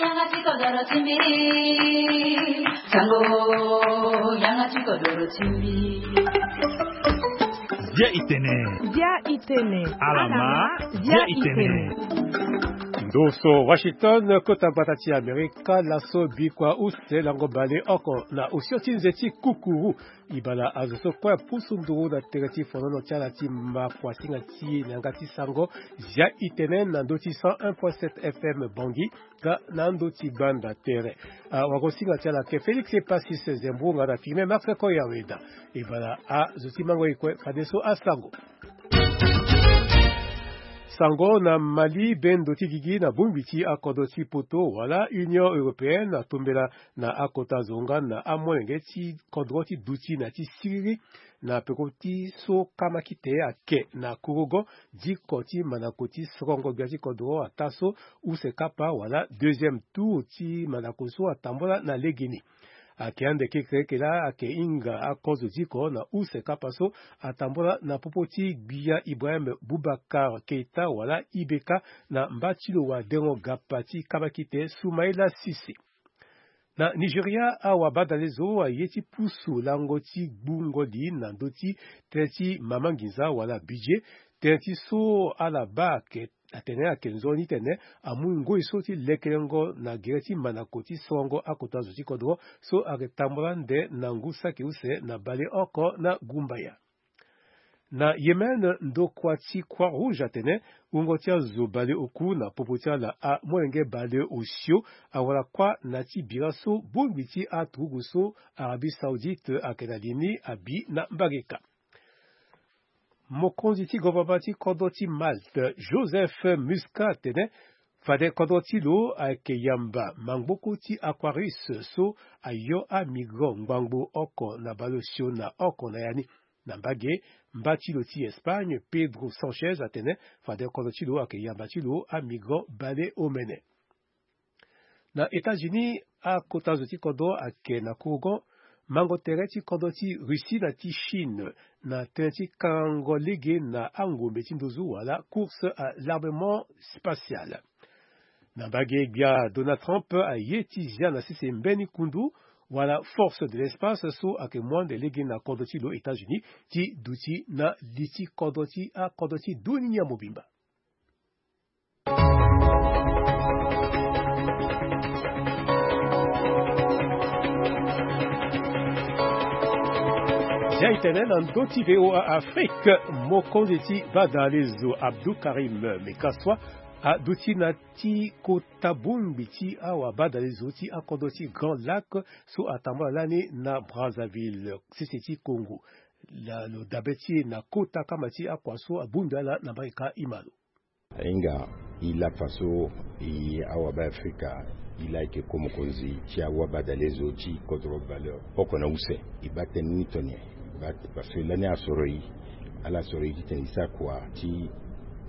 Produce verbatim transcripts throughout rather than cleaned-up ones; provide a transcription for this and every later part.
Yanga ti kodoro ti mbi. Sango, yanga ti kodoro ti mbi. Bia itene. Bia itene. Alama. Bia itene. Ndo so Washington, kota gbata ti Amerika, laso bikua use lango bale oko na osio ti nze ti kukuru. Ibala azo so kue pusu nduru na tere ti fonono ti ala ti makuasinga ti e na yanga ti sango. Zia itene na ndö ti cent un point sept F M Bangui, ka na ndö ti gbanda tere. Ah, wagosinga ti ala ke Félix Passis Zembourou nga na Firmin Marc Koyaweda. Ibala azo ti mango e kue fadeso asango. Sango na Mali, bendo ti gigi na bongbi ti akodro ti poto wala Union Européenne atombela na akota zo nga na amolenge ti kodro ti duti na ti siriri na peko ti so kamakite ake na kurugo. Diko ti mandako ti sorongo gbia ti kodro ata so use kapa wala deuxième tour ti mandako so atambula na legeni. Ayeke ande kekereke laa ayeke hinga akozo diko na use kapa so atambula na popo ti gbia Ibrahim Boubacar Keita wala I B K na mba ti lo wadengo gapa ti kabakite Soumaïla Cissé. Na Nigeria, awabadalezo aye ti pusu lango ti gbungo li na ndö ti tënë ti mama nginza wala budget, tënë ti so ala baa ayeke atene ayeke nzoni titene amu ngoi so ti lekelengo na gere ti mandako ti sorongo akota zo ti kodro so ayeke tambula nde na ngu saki use na baleoko na gumbaya. Na Yémen, ndokua ti Croix Rouge atene wungo ti azo baleoku na popo ti ala amolenge baleosio awara kuâ na ti bira so bongbi ti aturugu so Arabie Saoudite ayeke na li ni abi na mbageka. Mokonzi ti gouvernement ti kodro ti Malte, Joseph Muscat, atene fade kodro ti lo ayeke yamba mangboko ti Aquarius so ayo amigrant ngbangbo oko na baleosio na oko na ya ni. Na mbage, mba ti lo ti Espagne, Pedro Sanchez, atene fade kodro ti lo ayeke yamba ti lo amigrant baleomene. Na États-Unis, akota zo ti kodro ayeke na kurugo mango tere ti kodro ti Russie na ti Chine na tënë ti kangango lege na angombe ti nduzu wala course à l'armement spatial. Na mbage, gbia Donald Trump aye ti zia na sese mbeni kundu wala force de l'espace so ayeke mu ande lege na kodro ti lo États-Unis ti duti na li ti kodro ti akodro ti dunia mobimba. Zia itene na ndö ti V O A Afrique, mokonzi ti badalezo Abdou Karim Mekaswa aduti na ti kota bongbi ti awabadalezo ti akodro ti Grand Lac so atambula lani na Brazzaville, sese ti Congo. Lo dabe ti e na kota kama ti akua so abongbi ala na mbage ka e ma lo. Ahinga e laa fa so e awabe Afrika e laa e yeke ko mokonzi ti awabadalezo ti kodro baleoko na use. E baa tënë ni tongana nyen? E baa parce que lani asoro e, ala soro e titene e sara kua ti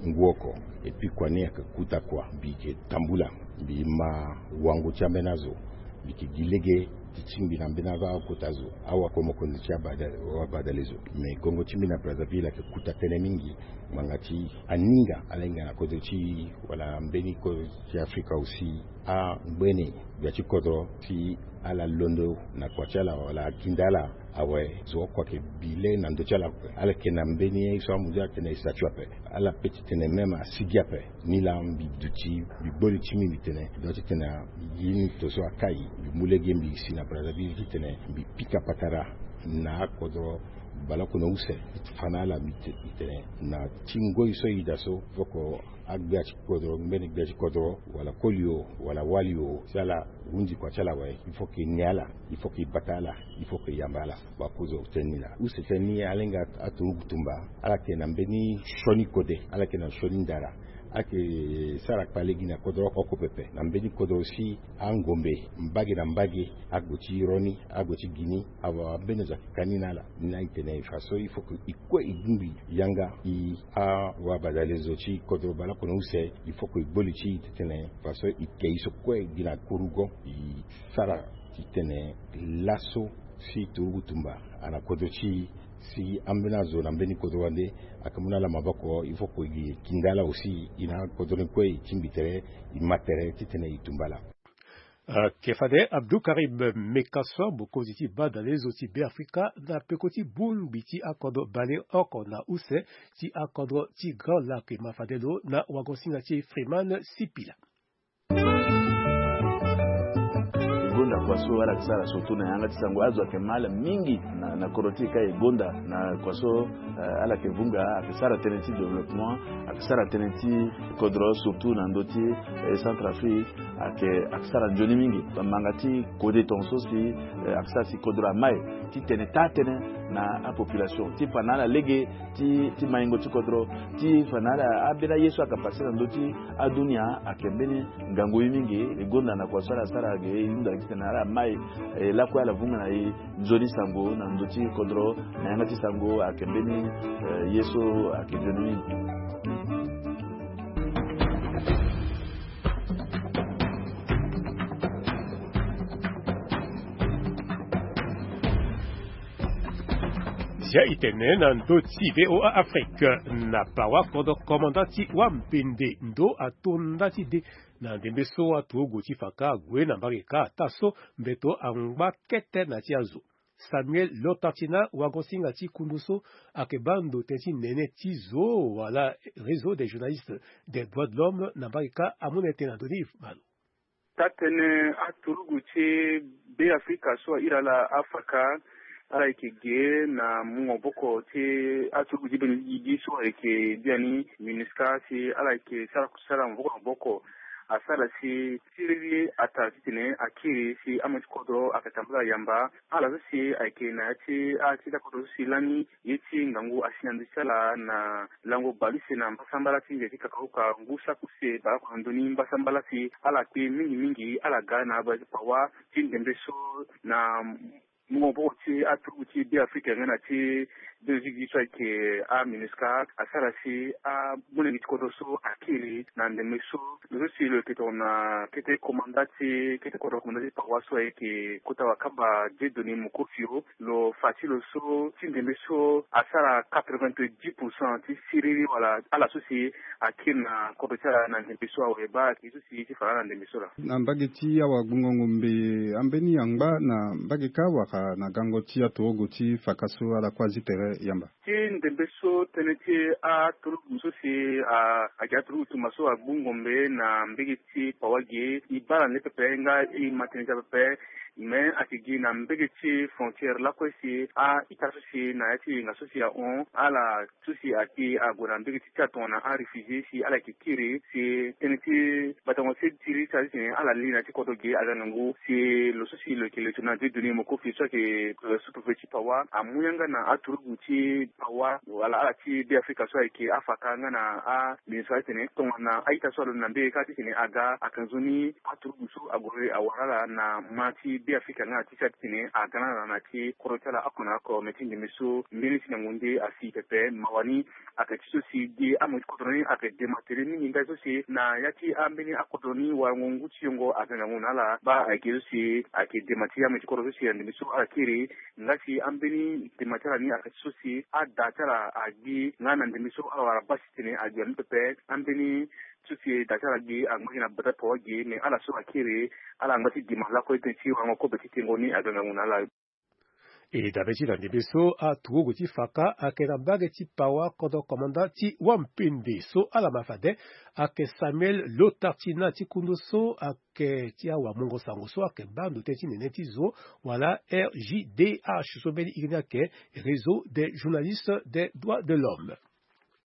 ngu oko. Et puis kua ni ayeke kuta kua. Mbi yeke tambula, mbi ma wango ti ambeni azo. Mbi yeke gi lege ti tingbi na mbeni akota zo, awa ko mokonzi ti abada-, awabadalezo. Me gongo ti mbi na Brazzaville ayeke kuta tënë mingi. Ngbanga ti aninga ala hinga na kodro ti e wala mbeni kodro ti Afrika aussi, angbene gbia ti kodro ti ala londo na kua ti ala wala akinda ala awe. Zo oko ayeke bi le na ndö ti ala ape. Ala yeke na mbeni ye so amu ti ala tene e statut ape. Ala peut ti tene même asigi ape. Ni laa mbi duti, mbi gbo li ti mbi, mbi tene, mbi doit ti tene, gi ni to so akai, mbi mu lege mbi si na Brazzaville ti tene mbi pika patara na akodro baleoko na use. Fa na ala mbi te-, mbi tene na ti ngoi so e da so, foko agbia ti kodro, mbeni gbia ti kodro, wala koli o, wala wali o, si ala hunzi kua ti ala awe, il faut que e ni ala, il faut que e bata ala, il faut que e yamba ala. Wakozo tënë ni laa. Use tënë ni ala hinga aturugu tumba, ala yeke na mbeni sioni kode, ala yeke na sioni ndara. Ala yeke sara kpale gi na kodro oko pepe. Na mbeni kodro si angombe mbage na mbage, ague ti ro ni, ague ti gi ni, awa ambeni zo ayeke ka ni na ala. Ni laa e tene fa so il faut que e kue e bongbi yanga e awabadalezo ti kodro baleoko na use, il faut que e gbo li ti e titene fa so e ke e so kue gi na kurugo, e sara titene laso si turugu tumba ana kodro ti e, si ambeni azo na mbeni kodro wande ayeke mu na ala maboko, il faut que e gi e kinda ala aussi, e na akodro ni kue e tingbi tere, e ma tere titene e tumba ala. Ayeke fade Abdou Karim Mekason, mokonzi ti badalezo ti Beafrika na peko ti bongbi ti akodro baleoko na use ti akodro ti Grand Lac, e ma fade lo na wagosinga ti Freeman Sipila. E gonda kua so ala yeke sara surtout na yanga ti sango, azo ayeke ma ala mingi na, na kodro ti e ka e gonda na kua so, eh, ala yeke vunga, ayeke sara tënë ti développement, ayeke sara tënë ti kodro surtout na ndö ti, eh, Centrafrique, ayeke, ayeke sara nzoni mingi. Bamanga ti kode tongaso si, eh, ayeke sara si kodro ama e ti tene taa tënë na apopulation ti fa na ala lege ti, ti maingo ti kodro, ti fa na ala ambeni aye so ayeke pase na ndö ti adunia ayeke mbeni ngangu ye mingi. E gonda na kua so ala sara ge, e hunda gi titene ala mai, eh, lakue ala vunga na e nzoni sango na ndö ti kodro, na yanga ti sango ayeke mbeni, eh, ye so ayeke nzoni mingi. Zia e tene na ndö ti VOA Afrique, na pawa kodro komanda ti wampende ndo ato nda ti de na ndembe so aturugu ti fa ka ague na mbage ka ata so mbeto angba kete na ti azo. Samuel Lotartina, wagosinga ti kundu so ayeke baa ndo tënë ti nene ti zo wala Réseau des journalistes des droits de l'homme na mbage ka, amu na ete na ndö ni. Malo. Tatene aturugu ti Beafrika so ahiri ala afaka, ala yeke ge na mungo maboko ti aturugu ti beni gigi so ayeke biani MINUSCA, si ala yeke sara kusala maboko na maboko. Asara si siriri ata titene akiri si ame ti kodro ayeke tambula yamba. Ala so si ayeke na ya ti a ti ta kodro so si lani ye ti ngangu asi na ndö ti ala na lango bale use na mbasambala ti nze ti kakauka ngu saki use baleoko na ndö ni mbasambala si ala kpe mingi mingi ala ga na abale ti pawa ti ndembe so na mungo maboko ti aturugu ti Beafrika nga na ti beni gigi so ayeke aMINUSCA asara si amolenge ti kodro so akiri na ndembe so. Lo so si lo yeke tongana kete komanda ti kete kodro komanda ti pawa so ayeke kota wakamba Dieudonné Mokofio, lo fa ti lo so ti ndembe so asara quatre-vingt-dix pour cent ti siriri wala ala so si akiri na kodro ti ala na ndembe so awe. Baa ayeke so si ti fa na ala na ndembe so laa. Na mbage ti awagbungo ngombe, ambeni angba na mbage ka wala na gango ti aturugu ti fa ka so ala kue azi tere yamba? Ti ndembe so tënë ti aturugu so si a, ayeke aturugu tumba so agbu ngombe na mbage ti pawa ge, e baa na le pepe nga e ma tënë ti apepe. Me ayeke gi na mbage ti frontière lakue si a-ita so si na ya ti yenga so si ahon ala so si ayeke ague na mbage ti ti atongana aréfugié si ala yeke kiri si tënë ti batango ti siriri ti ala titene ala li na ya ti kodro ge aga ngangu. Si lo so si lo yeke le tongana Dieudonné Mokofio so ayeke sous-préfet ti pawa amu yanga na aturugu ti pawa wala ala ti Beafrika so ayeke afa ka nga na aMINUSCA titene tongana a-ita so alondo na mbage ka titene aga ayeke nzoni aturugu so ague awara ala na ma ti Beafrika nga na ti ti ala titene aga na ala na ya ti kodro ti ala oko na oko. Me ti ndembe so mbeni ti ngangu nde asi pepe. Mawa ni ayeke ti so si gi amoyo ti kodro ni ayeke dema tere mingi ndali so si na ya ti ambeni akodro ni warango ngu ti yongo aga ngangu na ala. Baa ayeke so si ayeke dema ti amoyo ti kodro so si na ndembe so ala kiri. Nga si ambeni dema ti ala ni ayeke ti so si ada ti ala agbi nga na ndembe so ala wara baa si titene ague na ni pepe. Ambeni so si da ti ala gi angba gi na bata pawa gi, me ala so akiri ala angba ti dema lakue tënë ti warango kobe ti tengo ni aga ngangu na ala. E dabe ti na ndembe so aturugu ti fa ka ayeke na mbage ti pawa kodro komanda ti wampende so ala ma fade ayeke Samuel Lotartina ti kundu so ayeke ti awamungo sango so ayeke baa ndo tënë ti nene ti zo wala R J D H so mbeni iri ni ayeke Réseau des journalistes des droits de l'homme.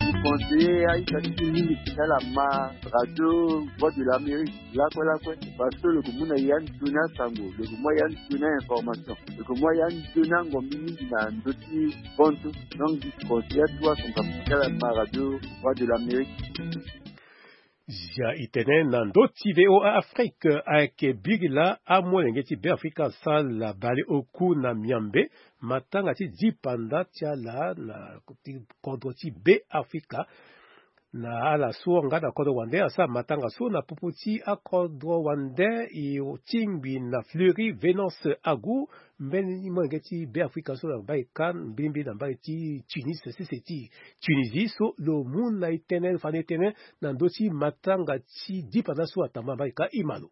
Ti conseiller a-ita ti ti mingi ti ala ma radio Voix de l'Amérique lakue lakue, parce que lo yeke mu na ya ni toni asango, lo yeke mu ya ni toni a-information, lo yeke mu ya ni toni angombi mingi na ndö ti bontu. Donc ti conseiller atu asango ti ala ma radio Voix de l'Amérique. Zia e tene na ndö ti VOA Afrique ayeke biri laa amolenge ti Beafrika asara baleoku na miambe matanga ti dipanda ti ala na ti kodro ti Beafrika. Na ala so nga na kodro wande asara matanga so na popo ti akodro wande e tingbi na Fleury Venance Agu. Mbeni molenge ti Beafrika so na mbage ka mbilimbili na mbage ti Tunis sese ti Tunisie so lo mu na e tënë, lo fa na e tënë na ndö ti matanga ti dipanda so atambula na mbage ka. E ma lo.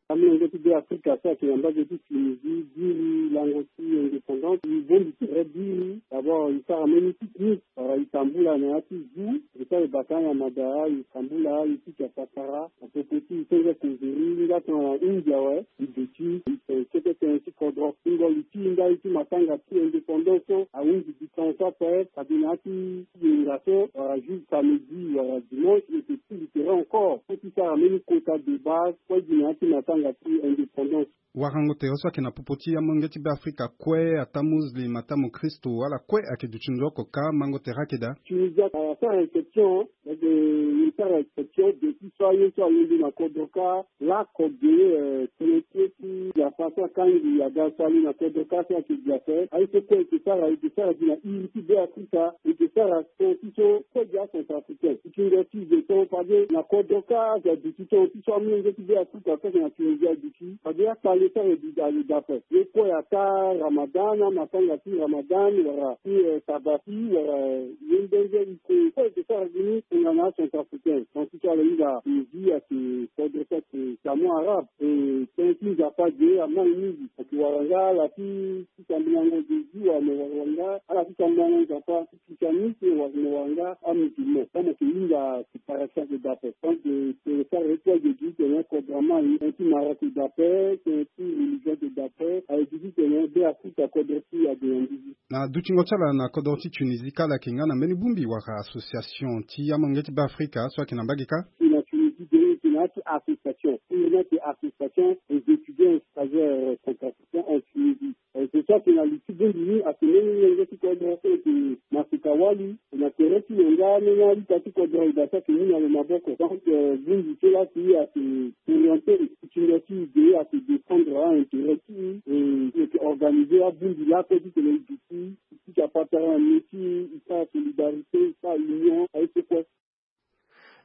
Amolenge ti Be Afrika so ayeke na mbage ti Tunisie biri lango ti indépendance, e bongbi tere biri. D'abord e sara mbeni pique-nique wala e tambula na ya ti zoo, e sara e bata na mada, e tambula, e pika sakara. Apopo ti e senge kozeri nga tongana hunda awe, e duti e tene kete tënë ti kodro. Ngoli ti e ndali ti matanga ti indépendance so ahunzi distance ape. Fade na ya ti yenga so wala jour samedi wala dimanche e yeke ti litera encore so ti sara mbeni kota de base kue gi na ya ti matanga ti indépendance. Warango tere so ayeke na popo ti amolenge ti Be Afrika kue, ata muslim ata mokristo, ala kue ayeke duti nzoni oko ka mango tere ayeke daa. Tunisie asara exception. Eke e sara exception depuis so aye so alingbi na kodro ka. Lako ge tënë ti e ti Nzapa so akangi aga so ali na kodro ka so ayeke gi ape. Aye so kue eke sara, eke sara gi na iri ti Be Afrika. Eke sara ton ti so kue gi acentrafricain. Pikingo ti e ge ton fade na kodro ka azo aduti ton ti so amolenge ti Be Afrika so ayeke na Tunisie aduti. Fade akpale so ayeke gi azo dape. Ye kue ata Ramadan, amatanga ti Ramadan wala ti Tabaski wala ye ndenze iko kue eke sara gi ni tongana acentrafricain. Ton ti so ala hinga Tunisie ayeke kodro so ayeke Diamant Arabe. E tënë ti Nzapa ge amai mingi. Ayeke wara nga ala ti ti sambelango Jésus wala mo wara nga ala ti sambelango Nzapa ti christianisme wala mo wara nga amusulman. Comme ayeke hinga séparation ayeke daa ape. Donc e sara ye kue ge gi titene kodro amai, tënë ti mara ayeke daa ape, tënë ti religion ayeke daa ape. Aye gi titene Be Afrika kodro ti e ade na ndizi. Na dutingo ti ala na kodro ti Tunisie kâ ala yeke nga na mbeni bongbi wala association ti amolenge ti Be Afrika so ayeke na mbage kâ? E na Tunisie ge e yeke na ya ti association. E na ya ti association des étudiants et stagiaires centrafricains en Tunisie. E, c'est ça, ayeke na li ti bongbi ni ayeke mbeni lenge ti kodro so ayeke na sika wali. E na tere ti lo nga ambeni a-ita ti kodro e daa so ayeke mu na lo maboko. Donc bongbi so laa si ayeke orienté ti nda ti e ge ayeke défendre a-intérêt ti e. E e yeke organisé abongbi lakue titene e duti e pika patara na ni ti e sara solidarité, e sara union, aye so kue.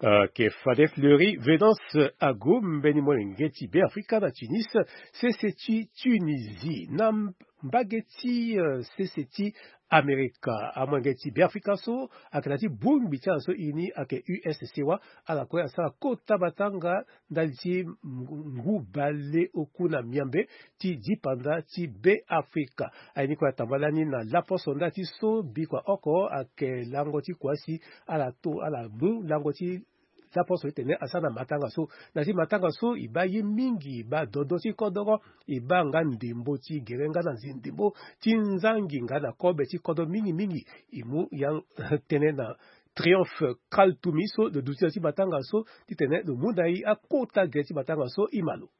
Ayeke fade Fleury Venance Ago, mbeni molenge ti Be Afrika na Tunis, sese ti Tunisie. Na mbage ti sese ti Amerika, amolenge ti Be Afrika so ayeke na ya ti bongbi ti ala so e ni ayeke U S C wa. Ala kue asara kota matanga ndali ti ngu bale oku na miambe ti dipanda ti Be Afrika. Aye ni kue atambala ni na laposo ndali ti so bikua oko ayeke lango ti kua si ala to ala mu lango ti laposo titene asara na matanga so. Na ya ti matanga so e baa ye mingi, e baa dodo ti kodoro, e baa nga ndembo ti gere nga na ndembo ti nzangi nga na kobe ti kodro mingi mingi. E mu ya tënë na Triomphe Kaltumi so lo duti na ya ti matanga so titene lo mu na e akota gere ti matanga so. E ma lo.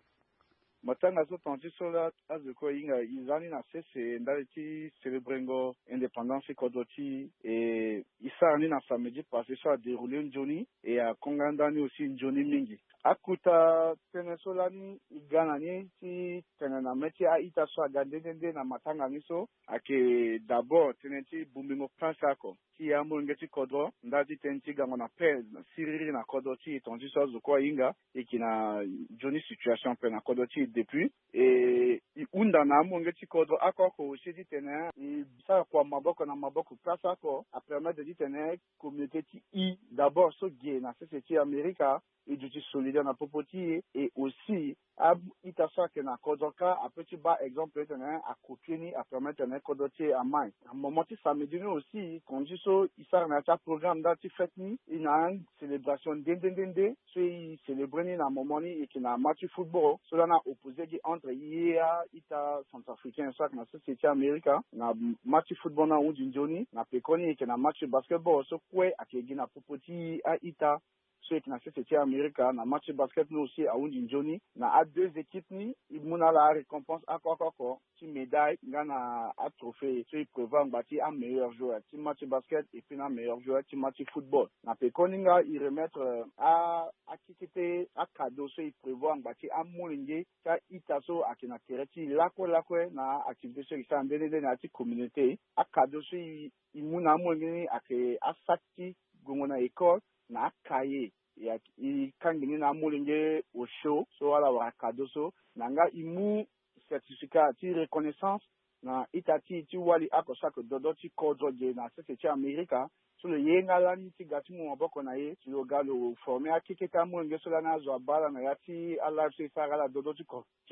Matanga so tonga ti so laa azo kue e hinga e za ni na sese ndali ti célébrengo indépendance ti kodro ti e. E sara ni na samedi passé so adéroulé nzoni e akonga ndani aussi nzoni mingi. Akota tënë so lani e ga na ni ti tene na mê ti a-ita so aga nde nde nde na matanga ni so ayeke d'abord tënë ti bongbingo prince oko ti e amolenge ti kodro ndali ti tënë ti gango na paix na siriri na kodro ti e tonga ti so azo kue ahinga. E yeke na nzoni situation ape na kodro ti e depuis e e hunda na amolenge ti kodro oko oko aussi titene e sara kua maboko na maboko place oko apermettre titene communauté ti e d'abord so ge na sese ti Amerika e duti solidaire na popo ti e. Et aussi a-ita so ayeke na kodro kâ apeut ti baa exemple titene acopier ni apermettre titene kodro ti e amai. Na moment ti samedi ni aussi tonga ti so e sara na ya ti aprogramme ndali ti fête ni e na acélébration nde nde nde nde so e célébrer ni na moment ni e yeke na match ti football so lani aopposé gi entre e a-ita centrafricain so ayeke na sese ti Amerika. Na match ti football ni ahunzi nzoni na pekoni e yeke na match ti basketball so kue ayeke gi na popo ti a-ita so e yeke na sese ti Amerika. Na match ti basket ni aussi ahunzi nzoni na a deux équipes ni e mu na ala arécompense oko oko oko ti médaille nga na atrophée so e prévoir angba ti ameilleur joueur ti match ti basket et puis na ameilleur joueur ti match ti football. Na pekoni nga e remettre a akekete acadeau so e prévoir angba ti amolenge ti a-ita so ayeke na tere ti e lakue lakue na activité so e sara nde nde nde na ya ti communauté. Acadeau so e mu na amolenge ni ayeke asac ti gongo na école na acahier. E kangi ni na amolenge osio so ala wara cadeau so na nga e mu certificat ti reconnaissance na ita ti e ti wali oko so ayeke dodo ti kodro ge na sese ti Amerika. so lo ye nga lani ti ga ti mu maboko na ye, si lo ga lo forme akekete amolenge so lani azo abaa ala na ya ti alive so e sara ala dodo ti ko ti